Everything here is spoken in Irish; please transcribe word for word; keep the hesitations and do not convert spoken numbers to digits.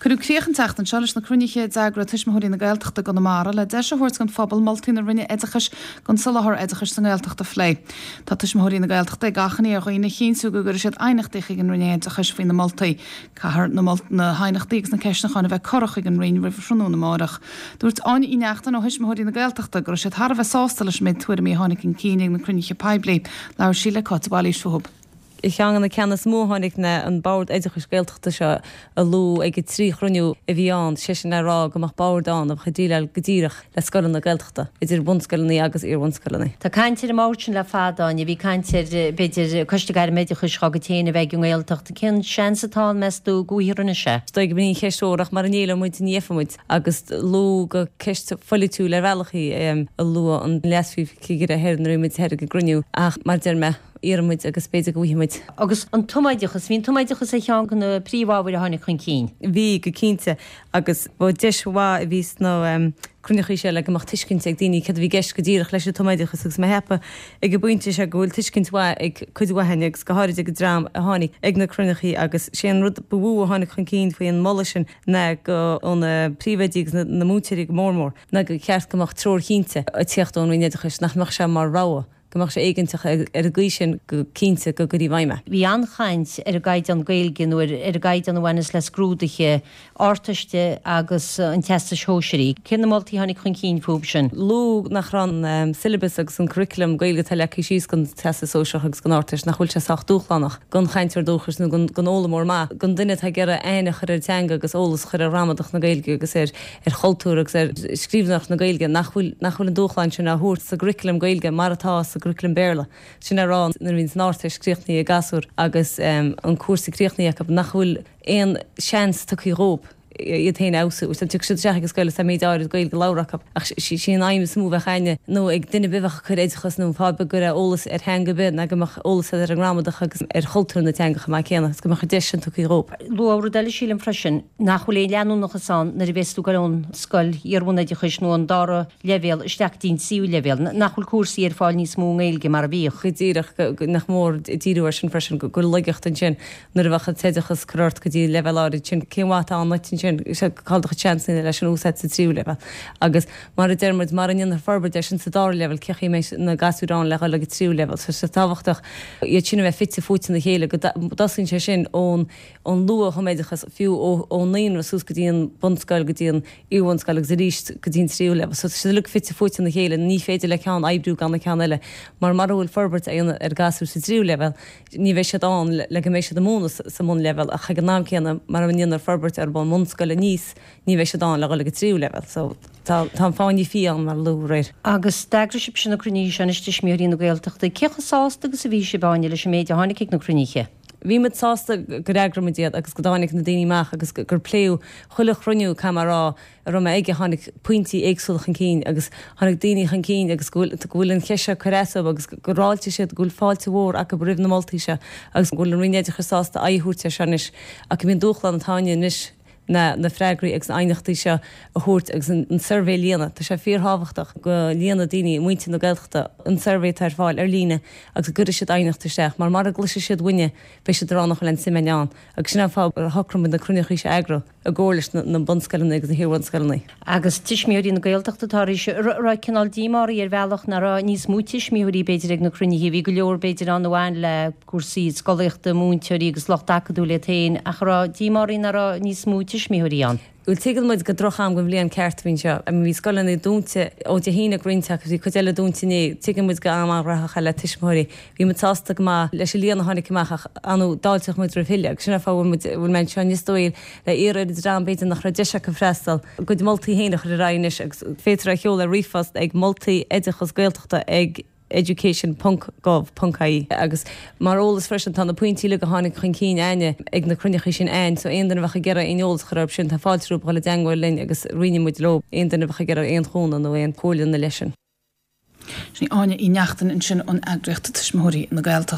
Cuireadh críoch an tseachtain seo leis na cruinnithe a d'eagraigh Tuismitheoirí na Gaeltachta i gConamara le deis a thabhairt don phobal moltaí na Roinne Oideachais don soláthar oideachais sa nGaeltacht a phlé. Tá Tuismitheoirí na Gaeltachta ag achainí ar dhaoine a chinntiú go gcuirfidh siad aighneachtaí chuig an Roinn Oideachais faoi na moltaí. Caithfear na haighneachtaí agus na ceistneacháin a bheith curtha chuig an Roinn roimh thráthnóna amárach. Dúirt Áine Uí Neachtain ó Thuismitheoirí na Gaeltachta go raibh siad thar a bheith sásta leis an méid tuairimí a tháinig chun cinn ag na cruinnithe poiblí. Labhair sí le Cáit de Bhailís fúthu. Ceann de na ceanna is mó a tháinig ná an bord oideachais Gaeltachta seo a luadh ag an trí chruinniú a bhí ann, sé sin le rá go mbeadh bord ann a bheadh ag déileáil go díreach le scoileanna Gaeltachta, idir bunscoileanna agus iar-bhunscoileanna. Tá caint ar an mbord sin le fada, Áine, bhí caint ar b'fhéidir coiste gairmoideachais dhá gcuid féin a bheith ag an nGaeltacht. Cén seans atá ann, meas tú, go bhfaighfear anois é? Is dóigh go mbíonn an cheist mhór ach mara n-éileoidh muid ní fhaighidh muid agus luadh gur ceist pholaitiúil ar bhealach í a luaigh an Leas-Phríomhchigire thoir nuair a bhí muid thoir ag an gcruinniú ach mar a deir mé, iarrfaidh muid agus b'fhéidir go bhfaighidh muid. Agus an tumoideachas, bhí an tumoideachas ar cheann de na príomhábhair a tháinig chun cinn. Bhí, go cinnte, agus ba deis mhaith a bhí sna cruinneachaí seo le go mbeadh tuiscint ag daoine céard a bhí i gceist go díreach leis an tumoideachas agus mé a cheapadh ag an bpointe seo go bhfuil tuiscint mhaith ag cuid mhaith againn agus go háirid ag an dream a tháinig ag na cruinneachaí agus sé an rud ba mhó a tháinig chun cinn faoi an moladh sin ná go ó na príomhoidí agus na múinteoirí go mór mór ná gur cheart go mbeadh treoir chinnte ag tíocht ón Roinn Oideachais nach mbeadh sé mar rogha go mbeadh sé éigeantach ar an gcaoi sin go cinnte go gcuirfí i bhfeidhm é. Bhí an-chaint ar an gcaighdeán Gaeilge nó ar an gcaighdeán a bhaineas le scrúduithe Ardteiste agus an Teastais Shóisearaigh. Cé na moltaí a tháinig chun cinn fúthu sin? Luadh nach raibh an syllabus agus an curriculum Gaeilge atá leagtha síos don Teastas Sóisearach agus don Ardteist, nach bhfuil sé sách dúshlánach don chainteoir dúchais nó don fhoghlaimeoir maith, don duine atá ag iarraidh aithne a chur ar an teanga agus eolas a chur ar ghramadach na Gaeilge agus ar chultúr agus ar scríbhneoireacht na Gaeilge, nach bhfuil nach bhfuil an dúshlán sin á thabhairt sa gcurriculum Gaeilge mar atá sa gcurriculum Béarla. Sin le rá, nuair a bhíonns an Ardteist críochnaithe ag gasúir agus an cúrsa críochnaithe acu, nach bhfuil aon seans tugtha dhóibh iad féin a fheabhsú. Tiocfaidh siad isteach ag an scoil is tá méid áirid Gaeilge labhartha acu. Ach sí an aidhm is mó a bheadh againne nó ag duine ar bith a bheadh ag cur oideachas nó fáth ar bith ag cur eolas ar theanga ar bith ná go mbeadh eolas agat ar an ngramadach agus ar chultúr na teanga chomh maith céanna agus go mbeadh an deis sin tugtha dhóibh. Luadh rud eile sílim freisin, nach bhfuil aon leanúnachas ann nuair a bhéas tú ag dul ón scoil iarbhunoideachais nó an dara leibhéal isteach go dtí an tríú leibhéal, nach bhfuil cúrsaí ar fáil níos mó i nGaeilge mar a bhíodh. Go díreach, nach mór díriú air sin freisin, go bhfuil laigeacht ansin nuair a bheadh an t-oideachas curtha ort go dtí leibhéal áirid sin, cén mhaith atá ann duit ansin, cá bhfuil do chuid seansanna leis an úsáid sa tríú leibhéal. Agus mar a deir muid, mara ndéanfar forbairt air sin sa dara leibhéal, cén chaoi a mbeidh na gasúir ann le dhul ag an tríú leibhéal. So tá sé tábhachtach iad sin a bheith fite fuaite ina chéile, go dtosaíonn sé sin ón ón luath-thumoideachas, fiú ón naíonra suas go dtí an bunscoil, go dtí an iarbhunscoil agus arís go dtí an tríú leibhéal. So tá siad uilig fite fuaite ina chéile, ní féidir le ceann oibriú gan an ceann eile, mar mara bhfuil forbairt á dhéanamh ar ghasúir sa tríú leibhéal, ní bheidh siad ann le go mbeidh siad ag múineadh sa mbunleibhéal ach ag an am céanna mara ndéanfar forbairt orthu ón mbunscoil aníos, ní bheidh siad ann le dhul ag an tríú leibhéal. So tá tá an fáinne fí ann mar a luadh aréir. Agus d'eagraigh sibhse na cruinnithe seo anois, Tuismitheoirí na Gaeltachta. Cé chomh sásta agus a bhí sibh, Áine, leis an méid a tháinig ag na cruinnithe? Bhí muid sásta gur eagraigh muid iad agus go dtáinig na daoine amach agus gur pléadh chuile chruinniú, caithfidh mé a rá, a raibh mé aige, tháinig pointí éagsúla chun cinn agus tháinig daoine chun cinn agus go bhfuil, go bhfuil an cheist seo ag cur as dóibh agus gur fháiltigh siad, go bhfuil fáilte mhór acu roimh na moltaí seo agus go bhfuil an Roinn Oideachais sásta aghaidh a thabhairt air seo anois ach gurb é an dúshlán atá againne anois ná na freagraí agus na haighneachtaí seo a thabhairt agus an suirbhé a líonadh. Tá sé fíorthábhachtach go líonfaidh daoine, muintir na Gaeltachta, an suirbhé atá ar fáil ar líne agus go gcuirfidh siad aighneacht isteach mar mara gcloisfidh siad uainne beidh siad ag rá nach bhfuil aon suim againn ann agus sin an fáth ar shocraigh muid na cruinneachaí seo a eagrú i gcomhar leis na bunscoileanna agus na hiarbhunscoileanna. Agus Tuismitheoirí na Gaeltachta atá arís, an raibh cineál díomá oraibh ar bhealach nach raibh níos mó tuismitheoirí b'fhéidir ag na cruinnithe, bhí go leor b'fhéidir ann a bhain le cúrsaí scolaíochta, múinteoirí agus lucht acadúil iad féin, ach an raibh díomá oraibh nach raibh níos mó tuismitheoirí ann? Bhuel, tuigeann muid gur droch-am den bhliain ceart a bhí anseo. I mean, bhí scoileanna dúnta ó Dé hAoine ag roinnt acu, bhí cuid eile dúnta inné. Tuigeann muid gur am an-ghnóthach é le tuismitheoirí. Bhí muid sásta go maith leis an líon a tháinig amach ach, ar ndóigh, d'fháilteodh muid roimh thuilleadh agus sin an fáth a bhfuil muid, bhfuil mé anseo inniu is dóigh le iarraidh ar an dream b'fhéidir nach raibh deis acu freastal, a gcuid moltaí féin a chur ar aghaidh anois agus féadfar é a sheoladh ar ríomhphost ag moltaí oideachas Gaeltachta ag education ponc gov ponc ie agus mar eolas freisin tá na pointí uilig a tháinig chun cinn againne ag na cruinneachaí sin againn so aon duine a bheadh ag iarraidh aon eolas a chur orthu sin tá fáilte rompu dhul i dteangmháil linn agus roinnfidh muid leo aon duine a bheadh ag iarraidh aon chúnamh nó aon chomhairle ina leith sin. Sin í Áine Uí Neachtain ansin ón eagraíocht Tuismitheoirí na Gaeltachta.